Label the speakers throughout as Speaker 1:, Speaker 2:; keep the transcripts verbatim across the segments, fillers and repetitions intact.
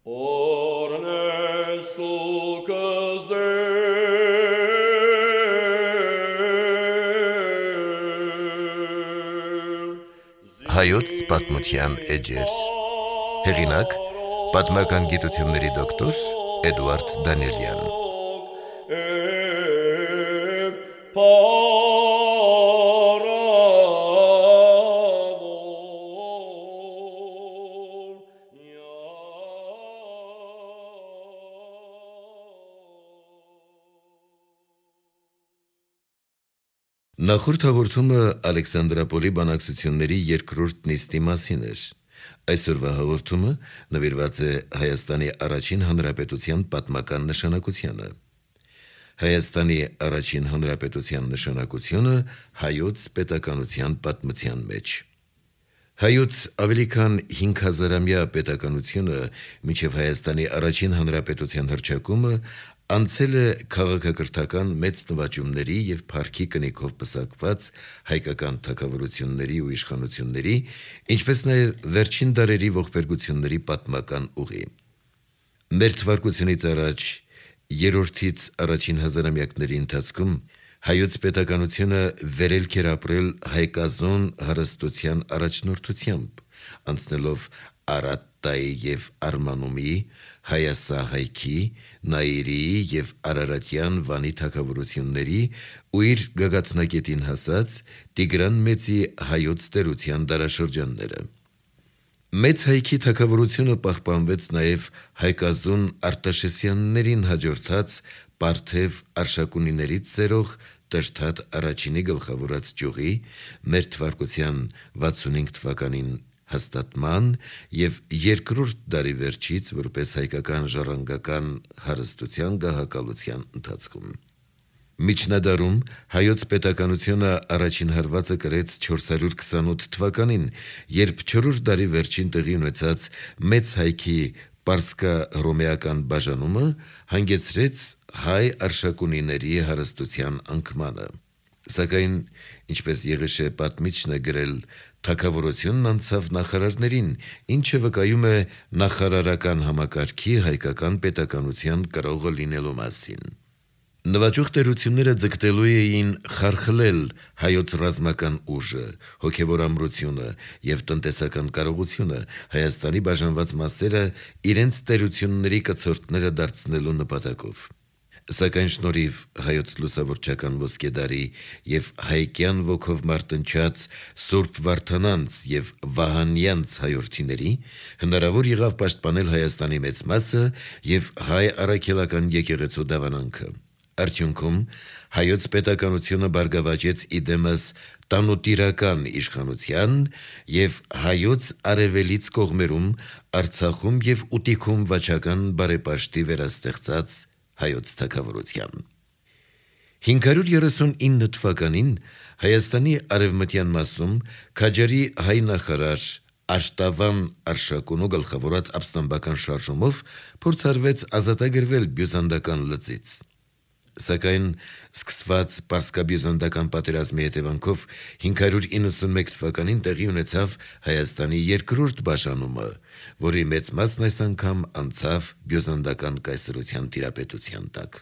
Speaker 1: Հայոց պատմության էջեր։ Հեղինակ՝ պատմական գիտությունների դոկտոր Էդուարդ Դանիելյան։ Նախորդ հաղորդումը Ալեքսանդրապոլի բանակցությունների երկրորդ նիստի մասին էր։ Այսօրվա հաղորդումը նվիրված է Հայաստանի առաջին հանրապետության պատմական նշանակությանը։ Հայաստանի առաջին հանրապետության նշանակությունը հայոց պետականության պատմության մեջ։ Հայոց ավելի քան հինգ հազարամյա պետականությունը մինչև Հայաստանի առաջին հանրապետության հռչակումը անցել է քաղաքակրթական մեծ նվաճումների և փառքի կնիքով պսակված հայկական թագավորությունների ու իշխանությունների, ինչպես նաև վերջին դարերի ողբերգությունների պատմական ուղի։ Մեր թվարկությունից առաջ երրորդից առաջին հազարամյակների ընթացքում հայոց պետականությունը վերելք էր ապրել հայկազոն հարստության առաջնորդությամբ, անցնելով Արատտայի և Արմանումի, Հայասահայքի, Նայիրիի և Արարատյան Վանի թագավորությունների ու իր գագաթնակետին հասած Տիգրան Մեծի հայոց տերության դարաշրջանները։ Մեծ հայքի թագավորությունը պահպանվեց նաև հայկազոն Արտաշեսյաններին հաջորդած Պարթև Արշակունիներից ծերող Տրդատ առաջինի գլխավորած ճյուղի մեր թվարկության վաթսունհինգ թվականին հաստատման և երկրորդ դարի վերջից որպես հայկական ժառանգական հարստության գահակալության ընթացքում։ Միջնադարում հայոց պետականությունը առաջին հարվածը կրեց չորս հարյուր քսանութ թվականին, երբ չորրորդ դարի վերջին տեղի ունեցած մեծ հայքի պարսկահռոմեական բաժանումը հանգեցրեց հայ արշակունիների հարստության անկմանը։ Սակայն, ինչպես Եղիշե պատմիչն է գրել, թագավորությունն անցավ նախարարներին, ինչը վկայում է նախարարական համակարգի հայկական պետականության կրողը լինելու մասին։ Նվաճող տերությունները ձգտելու էին խարխլել հայոց ռազմական ուժը, հոգևոր ամրությունը և տնտեսական կարողությունը, Հայաստանի բաժանված մասերը իրենց տերությունների կցորդները դարձնելու նպատակով։ Սակայն շնորհիվ հայոց լուսավորչական ոսկե դարի և հայկյան ոգով մարտնչած Սուրբ Վարդանանց և Վահանյանց հայորդիների հնարավոր եղավ պաշտպանել Հայաստանի մեծ մասը և հայ առաքելական եկեղեցու դավանանքը։ Արդյունքում հայոց պետականությունը բարգավաճեց իդեմս տանուտիրական իշխանության և հայոց արևելից կողմերում Արցախում և Ուտիքում վաճական բարեպաշտի վերաստեղծած հայոց թագավորության։ հինգ հարյուր երեսունինը թվականին Հայաստանի արևմտյան մասում քաջարի հայ նախարար Արտավան Արշակունու գլխավորած ապստամբական շարժումով փորձարվեց ազատագրվել բյուզանդական լծից։ Սակայն սկսված պարսկաբյուզանդական պատերազմի հետևանքով հինգ հարյուր իննսունմեկ թվականին տեղի ունեցավ Հայաստանի երկրորդ բաժանումը, որի մեծ մասն այս անգամ անցավ բյուզանդական կայսրության տիրապետության տակ։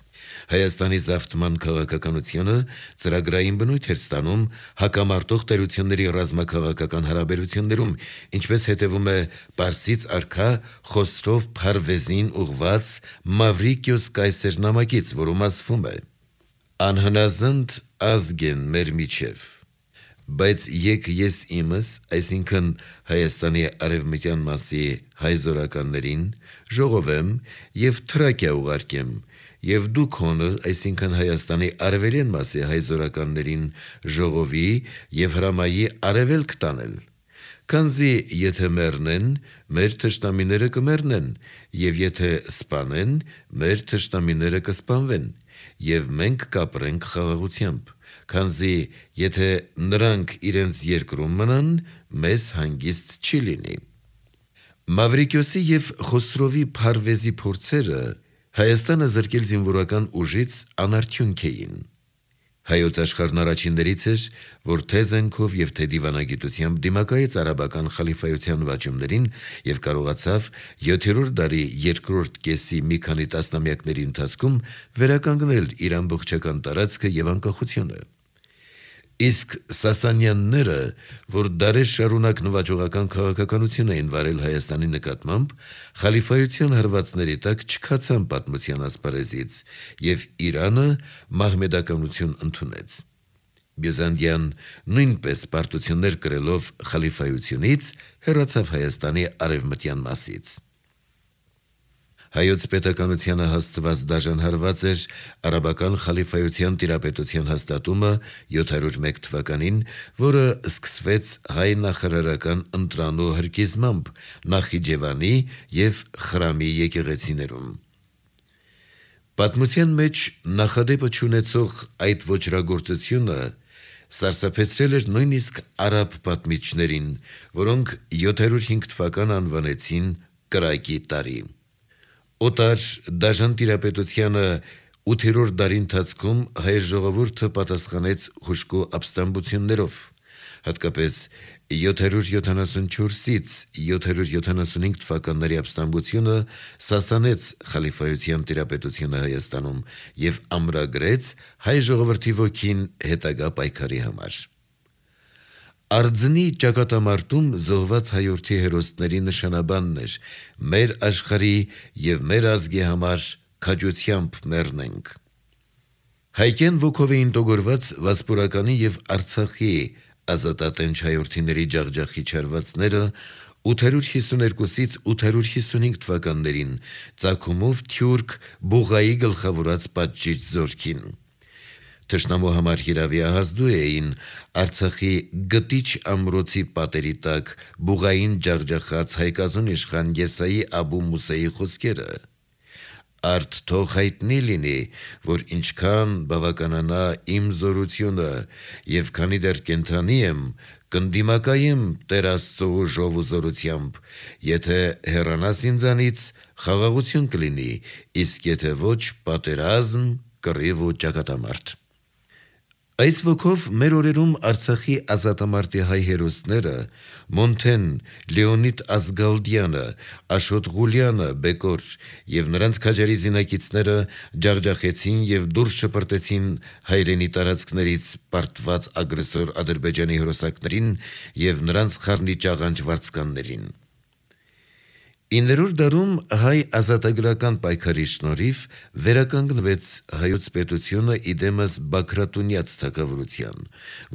Speaker 1: Հայաստանի զավթման քաղաքականությունը ծրագրային բնույթ էր ստանում հակամարտող տերությունների ռազմաքաղաքական հարաբերություններում, ինչպես հետևում է պարսից արքա Խոսրով Փարվեզին ուղղված Մավրիկիոս կայսեր նամակից, որում ասվում է. «Անհնազանդ ազգ են մեր միջև, բայց եկ ես իմս, այսինքն Հայաստանի արևմտյան մասի հայ զորականներին, ժողովեմ և Թրակիա ուղարկեմ, և դու քոնը, այսինքն Հայաստանի արևելյան մասի հայ զորականներին ժողովի և հրամայի արևելք տանել, քանզի եթե մեռնեն, մեր թշնամիները կմեռնեն, և եթե սպանեն, մեր թշնամիները կսպանվեն, և մենք կապրենք խաղաղությամբ, քանզի եթե նրանք իրենց երկրում մնան, մեզ հանգիստ չի լինի»։ Մավրիկիոսի և Խոսրովի Փարվեզի փորձերը Հայաստանը զրկել զինվորական ուժից անարդյունք էին։ Հայոց աշխարհն առաջիններից էր, որ թե զենքով եւ թե դիվանագիտությամբ դիմակայեց արաբական խալիֆայության վաճումներին եւ կարողացավ յոթերորդ դարի երկրորդ կեսի մի քանի տասնամյակների ընթացքում վերականգնել իր ամբողջական տարածքը եւ անկախությունը։ Իսկ Սասանյանները, որ դարեր շարունակ նվաճողական քաղաքականություն էին վարել Հայաստանի նկատմամբ, խալիֆայության հրվածների տակ չքացան պատմության ասպարեզից եւ Իրանը մահմեդականություն ընդունեց։ Բյուզանդիան նույնպես պարտություններ կրելով խալիֆայությունից հեռացավ Հայաստանի արևմտյան մասից։ Հայոց պետականությանը հասցված դաժան հարված էր արաբական խալիֆայության տիրապետության հաստատումը յոթ հարյուր մեկ թվականին, որը սկսվեց հայ նախարարական ընտրանու հրկիզմամբ Նախիջևանի եւ Խրամի եկեղեցիներում։ Պատմության մեջ նախադեպը չունեցող այդ ոճրագործությունը սարսափեցրել էր նույնիսկ արաբ պատմիչներին, որոնք յոթ հարյուր հինգ թվական անվանեցին կրակի տարի։ Օտար դաժան տիրապետությանը ութերորդ դարի ընթացքում հայ ժողովուրդը պատասխանեց հուժկու ապստամբություններով, հատկապես յոթ հարյուր յոթանասունչորսից յոթ հարյուր յոթանասունհինգ թվականների ապստամբությունը սասանեց խալիֆայության տիրապետությունը Հայաստանում եւ ամրագրեց հայ ժողովրդի ոգին հետագա պայքարի համար։ Արձնի ճակատամարտում զոհված հայորդի հերոսների նշանաբանն էր մեր աշխարհի եւ մեր ազգի համար քաջությամբ մեռնենք։ Հայկեն ոգով էին տոգորված Վասպուրականի եւ Արցախի ազատատենչ հայորդիների ջախջախի չարվածները ութ հարյուր հիսուներկուսից ութ հարյուր հիսունհինգ թվականներին ծագումով թյուրք Բուղայի գլխավորած պատժիչ զորքին։ Թշնամու համար հիրավիահազդու էին Արցախի գտիչ ամրոցի պատերի տակ Բուղային ջախջախած հայկազուն իշխան Եսայի Աբու Մուսեի խոսքերը. «Արդ թող հայտնի լինի, որ ինչքան բավականանա իմ զորությունը եւ քանի դեռ կենդանի եմ, կնդիմակայեմ Տեր Աստծո ուժով ու զորությամբ, եթե հեռանաս ինձանից, խաղաղություն կլինի, իսկ եթե ոչ, պատերազմ, կռիվ ու ճակատամարտ»։ Այս ոգով մեր օրերում Արցախի ազատամարտի հայ հերոսները Մոնթեն, Լեոնիդ Ազգալդյանը, Աշոտ Ղուլյանը, Բեկոր եւ նրանց քաջարի զինակիցները ջախջախեցին եւ դուրս շպրտեցին հայրենի տարածքներից պարտված ագրեսոր Ադրբեջանի հրոսակներին եւ նրանց խառնիչ աղանջ վարձկաններին։ իններորդ դարում հայ ազատագրական պայքարի շնորհիվ վերականգնվեց հայոց պետությունը իդեմս Բագրատունյաց թագավորության,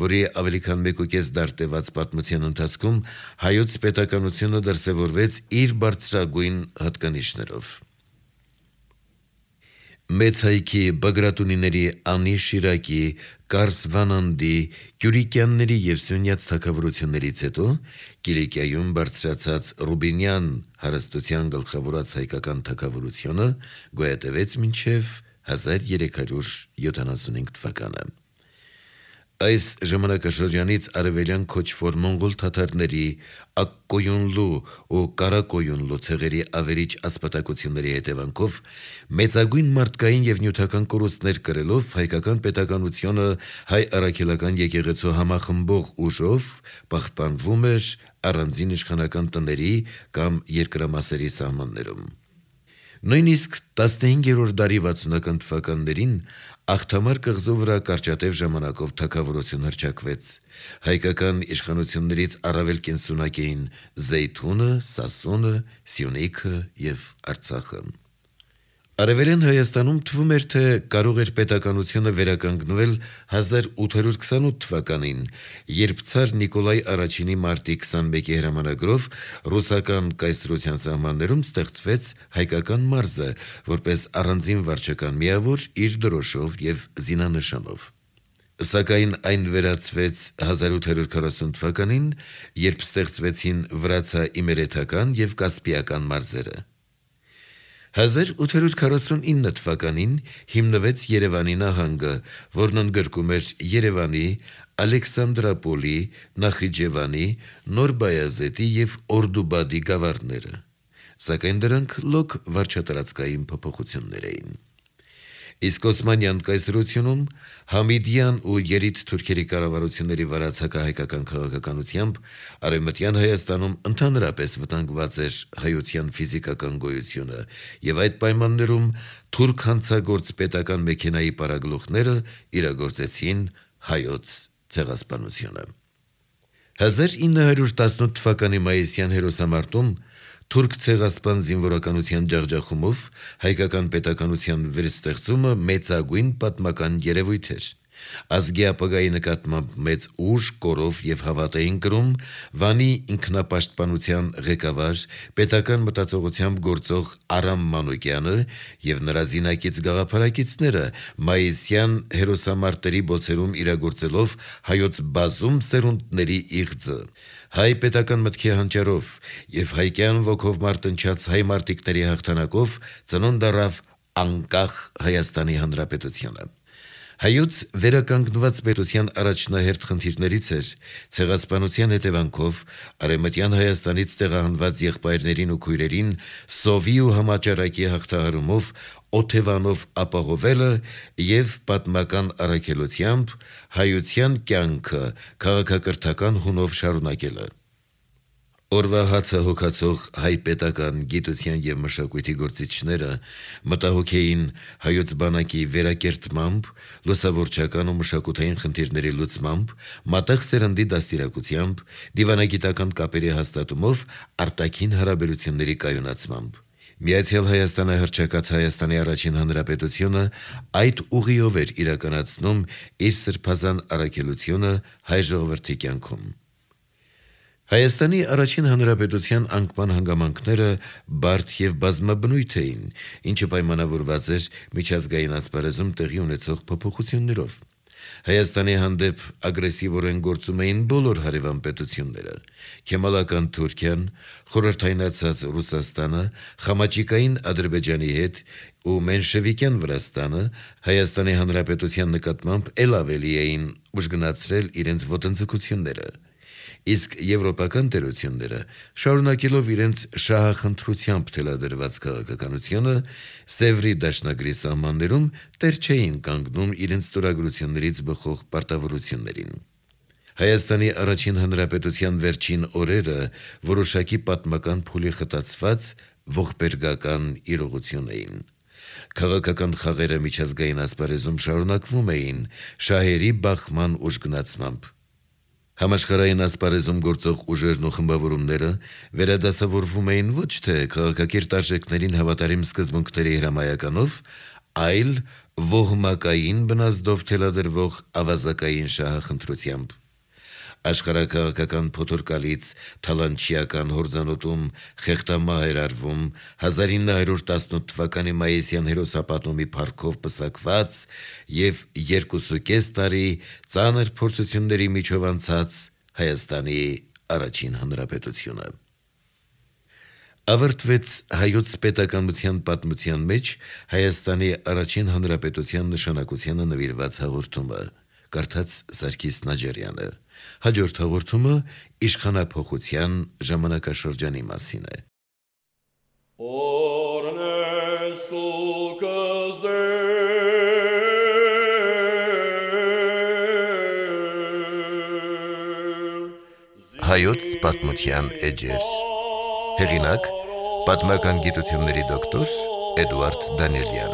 Speaker 1: որի ավելի քան մեկուկես դար տևած պատմության ընթացքում հայոց պետականությունը դրսևորվեց իր բարձրագույն հատկանիշներով։ Մեծ հայքի Բագրատունիների Անի Շիրակի, Կարս Վանանդի, Կյուրիկյանների եւ Սյունյաց թագավորություններից հետո Կիլիկիայում բարձրացած Ռուբինյան հարստության գլխավորած հայկական թագավորությունը գոյատևեց մինչև հազար երեք հարյուր յոթանասունհինգ թվականը։ Այս ժամանակաշրջանից արևելյան քոչվոր մոնղոլ թաթարների Ակկոյունլու ու Կարակոյունլու ցեղերի ավերիչ ասպատակությունների հետևանքով մեծագույն մարդկային եւ նյութական կորուստներ կրելով հայկական պետականությունը հայ առաքելական եկեղեցու համախմբող ուժով պահպանվում էր առանձին իշխանական տների կամ երկրամասերի սահմաններում։ Նույնիսկ տասնհինգերորդ դարի վաթսունական թվականներին Աղթամար կղզու վրա կարճատև ժամանակով թագավորություն հռչակվեց։ Հայկական իշխանություններից առավել կենսունակ էին Զեյթունը, Սասունը, Սյունիքը եւ Արցախը։ Արևելյան Հայաստանում թվում էր, թե կարող էր պետականությունը վերականգնվել հազար ութ հարյուր քսանութ թվականին, երբ ցար Նիկոլայ առաջինի մարտի քսանմեկի հրամանագրով ռուսական կայսրության սահմաններում ստեղծվեց հայկական մարզը, որպես առանձին վարչական միավոր իր դրոշով եւ զինանշանով։ Սակայն այն վերածվեց հազար ութ հարյուր քառասուն թվականին, երբ ստեղծվեցին վրացա-իմերեթական եւ կասպիական մարզերը։ հազար ութ հարյուր քառասունինը թվականին հիմնվեց Երևանի նահանգը, որն ընդգրկում էր Երևանի, Ալեքսանդրապոլի, Նախիջևանի, Նոր Բայազետի եւ Օրդուբադի գավառները, սակայն դրանք լոկ վարչատարածքային փոփոխություններ էին։ Իսկ Օսմանյան կայսրությունում Համիդյան ու երիտ թուրքերի կառավարությունների վարած հակահայկական քաղաքականությամբ Արևմտյան Հայաստանում ընդհանրապես վտանգված էր հայության ֆիզիկական գոյությունը, եւ այդ պայմաններում թուրք հանցագործ պետական մեքենայի պարագլուխները իրագործեցին հայոց ցեղասպանությունը։ հազար ինը հարյուր տասնութ թվականի մայիսյան հերոսամարտում թուրք ցեղասպան զինվորականության ջախջախումով հայկական պետականության վերստեղծումը մեծագույն պատմական երևույթ էր։ Ազգի ապագայի նկատմամբ մեծ ուժ, կորով եւ հավատ էին կրում Վանի ինքնապաշտպանության ղեկավար, պետական մտածողությամբ գործող Արամ Մանուկյանը եւ նրա զինակից գաղափարակիցները մայիսյան հերոսամարտերի բոցերում իրագործելով հայոց բազում սերունդների իղձը։ Հայ պետական մտքի հանճարով եւ հայկյան ոգով մարտնչած հայ մարտիկների հաղթանակով ծնունդ առավ անկախ Հայաստանի Հանրապետությունը։ Հայոց վերականգնված պետության առաջնահերթ խնդիրներից էր ցեղասպանության հետևանքով Արևմտյան Հայաստանից տեղահանված եղբայրներին ու քույրերին սովի ու համաճարակի հաղթահարումով օթևանով ապահովելը եւ պատմական առաքելությամբ հայության կյանքը քաղաքակրթական հունով շարունակելը։ Օրվա հացը հոգացող հայ պետական գիտության եւ մշակույթի գործիչները մտահոգ էին հայոց բանակի վերակերտմամբ, լուսավորչական ու մշակութային խնդիրների լուծմամբ, մատաղ սերնդի դաստիարակությամբ, դիվանագիտական կապերի հաստատումով, արտաքին հարաբերությունների կայունացմամբ։ Միացյալ Հայաստանը հռչակած Հայաստանի առաջին հանրապետությունը այդ ուղիով էր իրականացնում իր սրբազան առաքելությունը հայ ժողովրդի կյանքում։ Հայաստանի առաջին հանրապետության անկման հանգամանքները բարդ եւ բազմաբնույթ էին, ինչը պայմանավորված էր միջազգային ասպարեզում տեղի ունեցող փոփոխություններով։ Հայաստանի հանդեպ ագրեսիվորեն գործում էին բոլոր հարևան պետությունները՝ Քեմալական Թուրքիան, խորհրդայնացած Ռուսաստանը, խամաճիկային Ադրբեջանի հետ ու մենշևիկյան Վրաստանը Հայաստանի հանրապետության նկատմամբ ել ավելի էին ուժգնացրել իրենց ոտնձգությունները։ Իսկ եվրոպական տերությունները, շարունակելով իրենց շահախնդրությամբ թելադրված քաղաքականությունը, Սևրի դաշնագրի սահմաններում տեր չէին կանգնում իրենց ստորագրություններից բխող պարտավորություններին։ Հայաստանի առաջին հանրապետության վերջին օրերը որոշակի պատմական փուլի խտացված ողբերգական իրողություն էին։ Քաղաքական խաղերը միջազգային ասպարեզում շարունակվում էին շահերի բախման ուժգնացմամբ։ Համաշխարհային ասպարեզում գործող ուժերն ու խմբավորումները վերադասավորվում էին ոչ թե քաղաքակիրթ արժեքներին հավատարիմ սկզբունքների հրամայականով, այլ ոհմակային բնազդով թելադրվող ավազակային շահախնդրությամբ։ Աշխարհաքաղաքական փոթորկալից թալանչիական հորձանուտում խեղտամահ էր արվում հազար ինը հարյուր տասնութ թվականի մայիսյան հերոսապատումի փառքով պսակված եւ երկուսուկես տարի ծանր փորձությունների միջով անցած Հայաստանի առաջին հանրապետությունը։ Ավարտվեց հայոց պետականության պատմության մեջ Հայաստանի առաջին հանրապետության նշանակությանը նվիրված հաղորդումը, կարդաց Սարգիս Նաջարյանը։ Հաջորդ հաղորդումը իշխանափոխության ժամանակաշրջանի մասին է։ Հայոց պատմության էջեր։ Հեղինակ՝ պատմական գիտությունների դոկտոր Էդուարդ Դանիելյան։